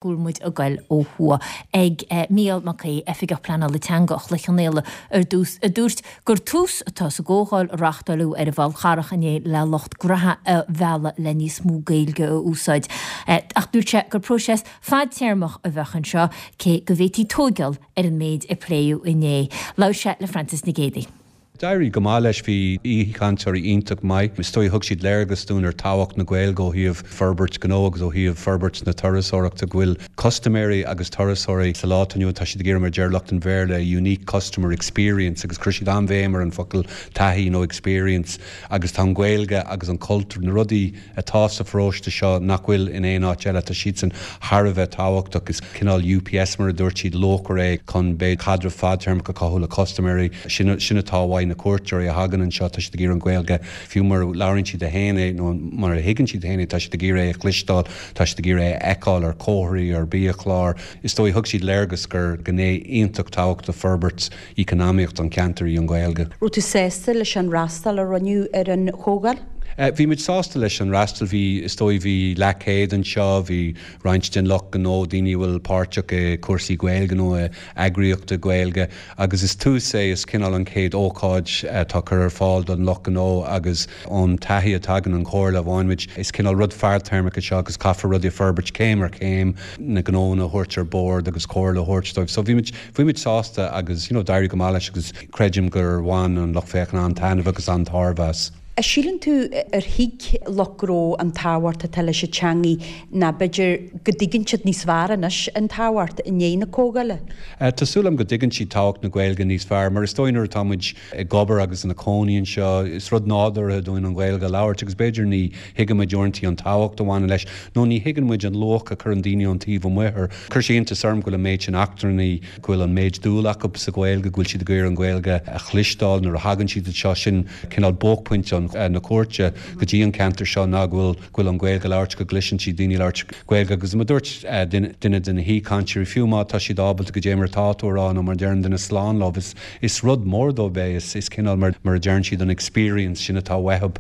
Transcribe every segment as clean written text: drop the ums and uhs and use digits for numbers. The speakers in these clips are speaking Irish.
Go bhfuil muid ag goil ó thuaidh ag Mícheál Mac Aoidh, Oifigeach Pleanála Teanga Chloich Cheann Fhaola ar dtús, a dúirt gur tús atá sa gcomhdháil a reáchtáileadh ar an bhFál Charrach inné le lucht gnaithe a mhealladh le níos mó Gaeilge a úsáid. Ach dúirt sé gur próiseas fadtéarmach a bheadh anseo, cé go bhféadfaí tóigeáil ar an méid a pléadh inné. Labhair sé le Frances Nic Géadaigh. D'éirigh go maith leis, bhí aoichainteoirí iontach maith. Is dóigh thug siad léargas dúinn ar tábhacht na Gaeilge ó thaobh forbairt gnó agus ó thaobh forbairt na turasóireachta, go bhfuil custaiméirí agus turasóirí sa lá atá inniu ann, tá siad ag iarraidh mar a deir lucht an Bhéarla, a unique customer experience agus chuir siad an-bhéim ar an focal taithí nó experience agus tá an Ghaeilge agus an cultúr, na rudaí atá sa pharóiste seo nach bhfuil in aon áit eile. Tá siadsan thar a bheith tábhachtach. Is cineál UPS, mar a dúirt siad, luachmhar é chun b'fhéidir caidreamh fadtéarmach a chothú le custaiméirí. Sin sin atá uaidh na cuairteoirí a thagann anseo. Tá siad ag iarraidh an Ghaeilge, fiú mura labhraíonn siad féin é nó mura thuigeann siad féin é, tá siad ag iarraidh é a chloisteáil, tá siad ag iarraidh é a fheiceáil ar chomharthaí, ar biachláir. Is dóigh, thug siad léargas gur gné iontach tábhachtach de forbairt eacnamaíocht an cheantair í an Ghaeilge. Raibh tú sásta leis an fhreastal a rinneadh ar an chomhdháil? Bhí muid sásta leis an fhreastal. Bhí, is dóigh, bhí leathchéad anseo, bhí roinnt den lucht gnó, daoine a bhfuil páirteach i cúrsaí Gaeilge nó i eagraíochtaí Gaeilge agus is tús é, is cineál an chéad ócáid atá curtha ar fáil don lucht gnó agus ón taithí atá againn an chomhairle a bhain muid, is cineál rud fadtéarmach é seo agus caithfear rudaí a forbairt céim ar chéim, na gnóanna a thabhairt ar bord agus comhairle a thabhairt dóibh. So bhí muid. Bhí muid sásta agus you know d'éirigh go maith leis agus creidim gur bhain an lucht féachana an-taitneamh agus an-tairbhe as. An síleann tú ar thuig lucht gnó an tábhacht atá leis an teangaidh ná b'fhéidir go dtuigeann siad níos fearr anois an tábhacht i ndiaidh na comhdhála? Tá súil agam go dtuigeann siad tábhacht na Gaeilge níos fearr mar is dóigh nuair atá muid ag obair agus ina cónaí anseo is rud nádúrtha dúinn an Ghaeilge a labhairt agus b'fhéidir ní thuigeann muid uaireanta an tábhacht a bhaineann leis nó ní thuigeann muid an luach a chuireann daoine ón taobh amuigh air. Chuir sé iontas orm go bhfuil an méid sin eachtrannaigh, go bhfuil an méid dúil acu sa Ghaeilge, go bhfuil siad ag iarraidh an Ghaeilge a chloisteáil nuair a thagann siad anseo. Sin cineál buaicphointe na cuairte go dtí an ceantar seo ná go bhfuil go bhfuil an Ghaeilge á labhairt, go gcloiseann siad daoine ag labhairt Gaeilge. Agus mar a dúirt duine de na haoichainteoirí, fiú má tá siad ábalta goidé mar atá tú a rá nó mar a deireann duine slán leo, is is rud mór dóibh é, is is cineál mar mar a deireann siad an experience sin atá uathu.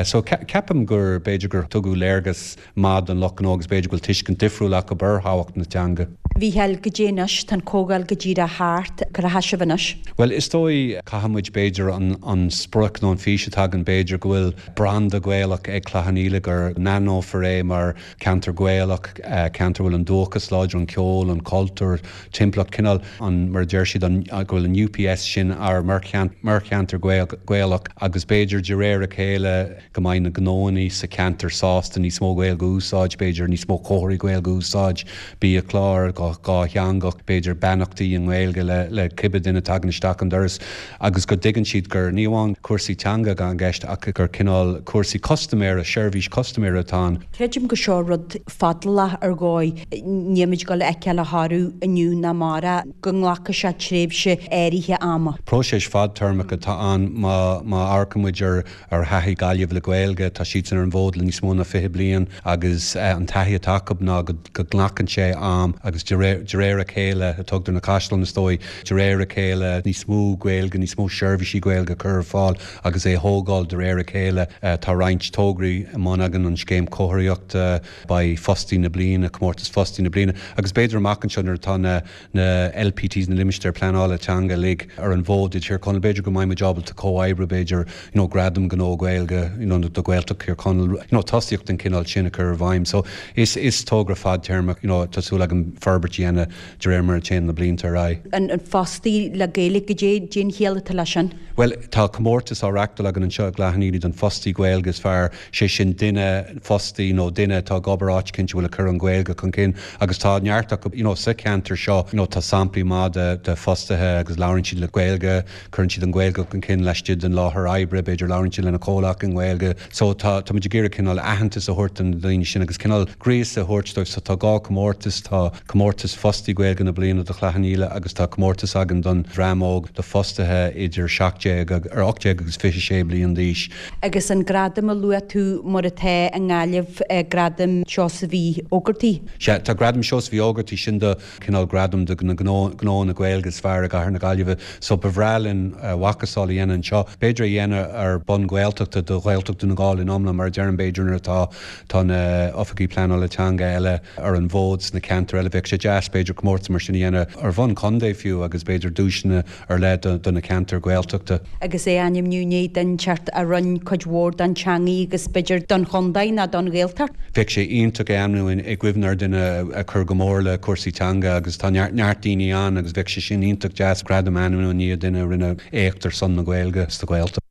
So ceapaim gur b'fhéidir gur tugadh léargas maith don lucht gnó agus b'fhéidir go bhfuil tuiscint difriúil acu ar thábhacht na teanga. Mhícheáil, goidé anois, tá an chomhdháil go díreach thart, cá bhfuil sibh anois? Bhuel, is dóigh, caithfidh muid b'fhéidir an an sprioc nó an fís atá againn b'fhéidir go bhfuil branda Gaelach ag Cloich Cheann Fhaola, go n-aithneofar é mar cheantar Gaelach, ceantar a bhfuil an dúchas láidir, an ceol, an cultúr, timpeallacht, cineál an, mar a deir siad, an, go bhfuil an UPS sin ár mar mar cheantar Gaelach agus b'fhéidir de réir a chéile, go mbeidh na gnóanna sa cheantar sásta níos mó Gaeilge a úsáid, b'fhéidir níos mó comharthaí Gaeilge a úsáid, biachlár dhátheangach, b'fhéidir beannachtaí i nGaeilge le le cibé duine a tagann isteach an doras agus go dtuigeann siad gur ní amháin cúrsaí teanga atá i gceist ach gur cineál cúrsaí custaiméara, seirbhís custaiméara atá ann. Creidim gur seo rud fadálach ar dhóigh, níl muid ag dul a fheiceáil a thoradh inniu ná amárach, go nglacfaidh sé tréimhse áirithe ama. Próiseas fadtéarmach atá ann má má amharcann muid ar Ar thaithí Gaillimh le Gaeilge, tá siadsan ar an bhfód le níos mó ná 20 bliain agus an taithí atá acu ná go nglacann sé am agus de réir a chéile a tógtar na caisleáin is dóigh, de réir a chéile níos mó Gaeilge, níos mó seirbhísí Gaeilge a chur ar fáil agus é a thógáil de réir a chéile. Tá roinnt tograí i mbun againn, an Scéim Comharthaíochta, beidh Fostaí na Bliana, Comórtas Fostaí na Bliana agus b'fhéidir amach anseo nuair atá na na LPTs, na Limistéir Pleanála Teanga uilig ar an bhfód i dTír Chonaill. B'fhéidir go mbeidh muid ábalta comhoibriú, b'fhéidir, you know, gradam gnó Gaeilge, you know, do Ghaeltacht Thír Chonaill, you know, tosaíocht den chineál sin a chur i bhfeidhm. So is, is togra fadtéarmach, you know, tá súil agam forbairt a dhéanamh de réir mar a théann na blianta ar aghaidh. An, an fostaí le Gaeilge, goidé, goidé an chiall atá leis sin? Bhuel, tá comórtas á reachtáil againn anseo i gCloich Cheann Fhaola don fostaí Gaeilge is fearr. sé sin duine fostaí nó duine atá ag obair áit eicínt a bhfuil ag cur an Ghaeilge chun cinn agus tá neart acu you know sa cheantar seo you know tá samplaí maith de de fostaithe agus labhraíonn siad le Gaeilge, cuireann siad an Ghaeilge chun cinn laistigh den láthair oibre, b'fhéidir labhraíonn siad lena comhleacaithe i nGaeilge so tá tá muid ag iarraidh cineál aitheantas a thabhairt do na daoine sin agus cineál gríosadh a thabhairt dóibh so tá dhá chomórtas, tá comórtas. Comórtas Fostaí Gaeilge na Bliana do Chloich Cheann Fhaola agus tá comórtas againn don dream óg do fostaithe idir 17 ar 18 agus 26 bliain d'aois. Agus an gradam a luaigh tú mar atá i nGaillimh, Gradam Sheosaimh Uí Ógartaigh? Sea, tá Gradam Sheosaimh Uí Ógartaigh, sin do cineál gradam do na gnóanna Gaeilge is fearr i gcathair na Gaillimhe so ba bhreá linn a mhacasamhail a dhéanamh anseo. B'fhéidir a dhéanamh ar bun Gaeltachta do Ghaeltacht Dhún na nGall in iomlán mar a deirim b'fhéidir nuair atá tá na oifigí pleanála teanga eile ar an bhfód sna ceantair eile bheadh sé deas b'fhéidir comórtas mar sin a dhéanamh ar bhonn contae fiú agus b'fhéidir duaiseanna ar leith do na ceantair Ghaeltachta. Agus é a ainmniú i ndiaidh duine inteacht a rinn cuid mhór don teangaidh agus b'fhéidir don chontae ná don Ghaeltacht. Bheadh sé iontach é a ainmniú i gcuimhne ar dhuine a chuir go mór le cúrsaí teanga agus tá neart daoine ann agus bheadh sé sin iontach deas gradam a ainmniú i ndiaidh duine a rinne éacht ar son na Gaeilge sa Ghaeltacht.